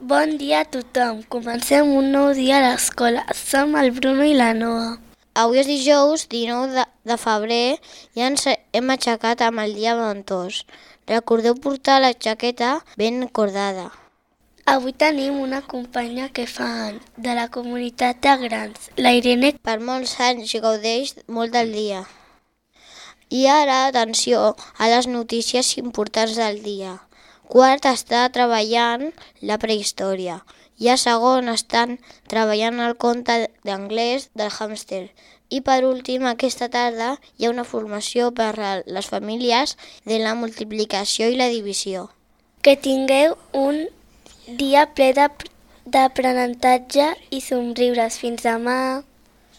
Bon dia a tothom. Comencem un nou dia a l'escola. Som el Bruno i la Noa. Avui és dijous 19 de febrer i ens hem aixecat amb el dia ventós. Recordeu portar la jaqueta ben cordada. Avui tenim una companya que fa anys, de la comunitat de grans, la Irene. Per molts anys gaudeix molt del dia. I ara, atenció a les notícies importants del dia. Quart està treballant la prehistòria i a segon estan treballant el conte d'anglès del hàmster. I per últim, aquesta tarda hi ha una formació per a les famílies de la multiplicació i la divisió. Que tingueu un dia ple d'aprenentatge i somriures. Fins demà!